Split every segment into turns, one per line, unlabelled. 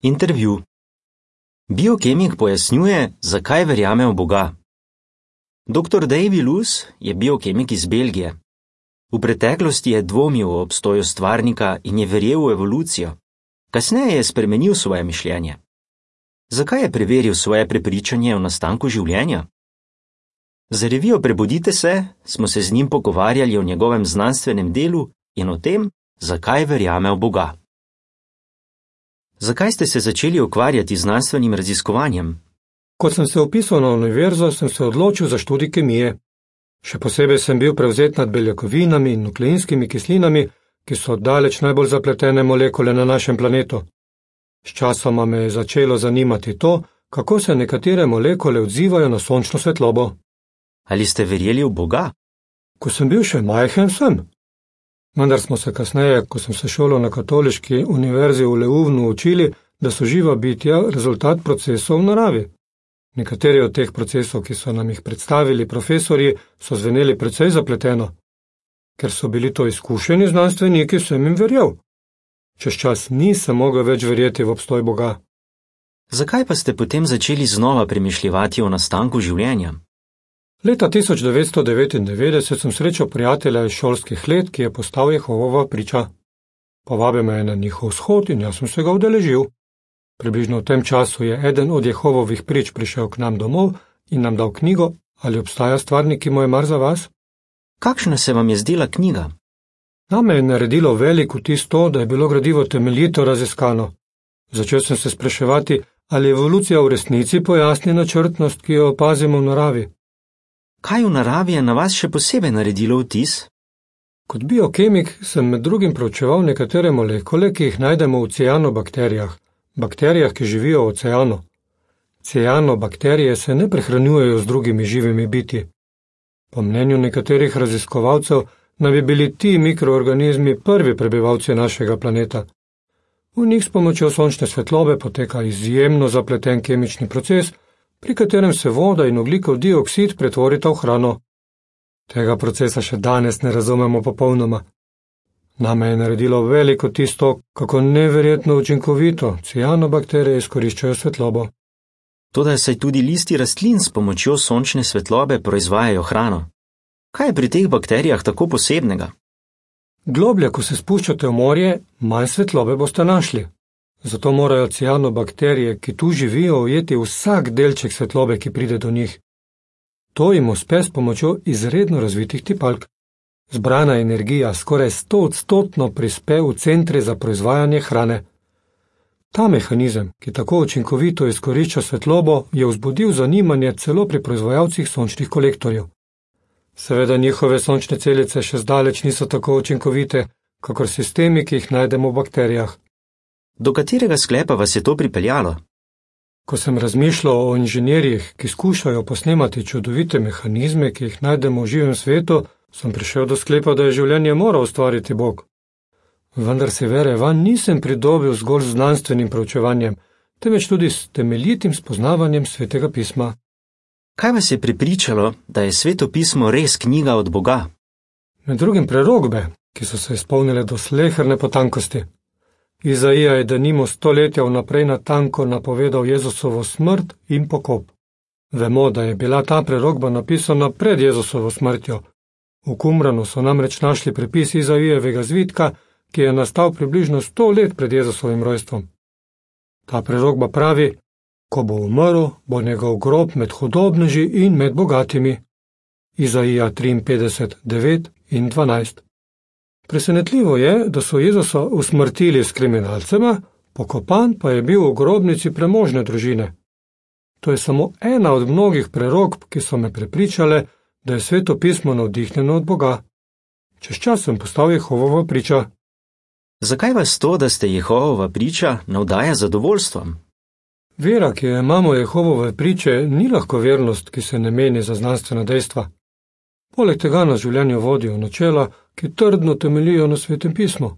Intervju. Biokemik pojasnjuje, zakaj verjame v Boga. Dr. Davy Luce je biokemik iz Belgije. V preteklosti je dvomil o obstoju stvarnika in je verjel v evolucijo. Kasneje je spremenil svoje mišljenje. Zakaj je preveril svoje prepričanje o nastanku življenja? Za revijo Prebudite se smo se z njim pogovarjali o njegovem znanstvenem delu in o tem, zakaj verjame v Boga. Zakaj ste se začeli ukvarjati z znanstvenim raziskovanjem?
Ko sem se vpisal na univerzo, sem se odločil za študij kemije. Še posebej sem bil prevzet nad beljakovinami in nukleinskimi kislinami, ki so daleč najbolj zapletene molekule na našem planetu. Sčasoma me je začelo zanimati to, kako se nekatere molekule odzivajo na sončno svetlobo.
Ali ste verjeli v Boga?
Ko sem bil še majhen, sem. Vendar smo se kasneje, ko sem se šolal na katoliški univerzi v Leuvnu, učili, da so živa bitja rezultat procesov v naravi. Nekateri od teh procesov, ki so nam jih predstavili profesorji, so zveneli precej zapleteno. Ker so bili to izkušeni znanstveniki, sem jim verjel. Čez čas nisem mogel več verjeti v obstoj Boga.
Zakaj pa ste potem začeli znova premišljevati o nastanku življenja?
Leta 1999 sem srečal prijatelja iz šolskih let, ki je postal Jehovova priča. Povabil me je na njihov shod in jaz sem se ga udeležil. Približno v tem času je eden od Jehovovih prič prišel k nam domov in nam dal knjigo Ali obstaja stvarnik, ki mu je mar za vas?
Kakšna se vam je zdela knjiga?
Name je naredilo velik vtis to, da je bilo gradivo temeljito raziskano. Začel sem se spraševati, ali evolucija v resnici pojasni načrtnost, ki jo opazimo v naravi.
Kaj v naravi je na vas še posebej naredilo vtis?
Kot biokemik sem med drugim proučeval nekatere molekule, ki jih najdemo v cianobakterijah, bakterijah, ki živijo v oceanu. Cianobakterije se ne prehranjujejo z drugimi živimi bitji. Po mnenju nekaterih raziskovalcev naj bi bili ti mikroorganizmi prvi prebivalci našega planeta. V njih s pomočjo sončne svetlobe poteka izjemno zapleten kemični proces, pri katerem se voda in ogljikov dioksid pretvorita v hrano. Tega procesa še danes ne razumemo popolnoma. Name je naredilo veliko tisto, kako neverjetno učinkovito cianobakterije izkoriščajo svetlobo.
Toda saj tudi listi rastlin s pomočjo sončne svetlobe proizvajajo hrano. Kaj je pri teh bakterijah tako posebnega?
Globlje, ko se spuščate v morje, manj svetlobe boste našli. Zato morajo cianobakterije, ki tu živijo, ujeti vsak delček svetlobe, ki pride do njih. To jim uspe s pomočjo izredno razvitih tipalk. Zbrana energija skoraj 100% prispe v centre za proizvajanje hrane. Ta mehanizem, ki tako učinkovito izkorišča svetlobo, je vzbudil zanimanje celo pri proizvajalcih sončnih kolektorjev. Seveda njihove sončne celice še zdaleč niso tako učinkovite, kakor sistemi, ki jih najdemo v bakterijah.
Do katerega sklepa vas je to pripeljalo?
Ko sem razmišljal o inženirjih, ki skušajo posnemati čudovite mehanizme, ki jih najdemo v živem svetu, sem prišel do sklepa, da je življenje moral ustvariti Bog. Vendar se vere vanj nisem pridobil zgolj z znanstvenim proučevanjem, temveč tudi s temeljitim spoznavanjem Svetega pisma.
Kaj vas je prepričalo, da je Sveto pismo res knjiga od Boga?
Med drugim prerokbe, ki so se izpolnile do sleherne potankosti. Izaija je denimo stoletja vnaprej natanko napovedal Jezusovo smrt in pokop. Vemo, da je bila ta prerokba napisana pred Jezusovo smrtjo. V Qumranu so namreč našli prepis Izaijevega zvitka, ki je nastal približno 100 let pred Jezusovim rojstvom. Ta prerokba pravi, ko bo umrl, bo njegov grob med hudobneži in med bogatimi. Izaija 53, 9 in 12. Presenetljivo je, da so Jezusa usmrtili s kriminalcema, pokopan pa je bil v grobnici premožne družine. To je samo ena od mnogih prerokb, ki so me prepričale, da je Sveto pismo navdihnjeno od Boga. Čez čas sem postal Jehovova priča.
Zakaj vas to, da ste Jehovova priča, navdaja zadovoljstvom?
Vera, ki jo imamo Jehovove priče, ni lahko vernost, ki se ne meni za znanstvena dejstva. Poleg tega nas življenju vodijo načela, ki trdno temeljijo na Svetem pismu.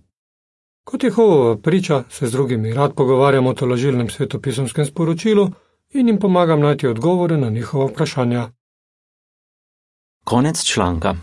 Kot Jehovova priča se z drugimi rad pogovarjam o tolažilnem svetopisemskem sporočilu in jim pomagam najti odgovore na njihova vprašanja.
Konec članka.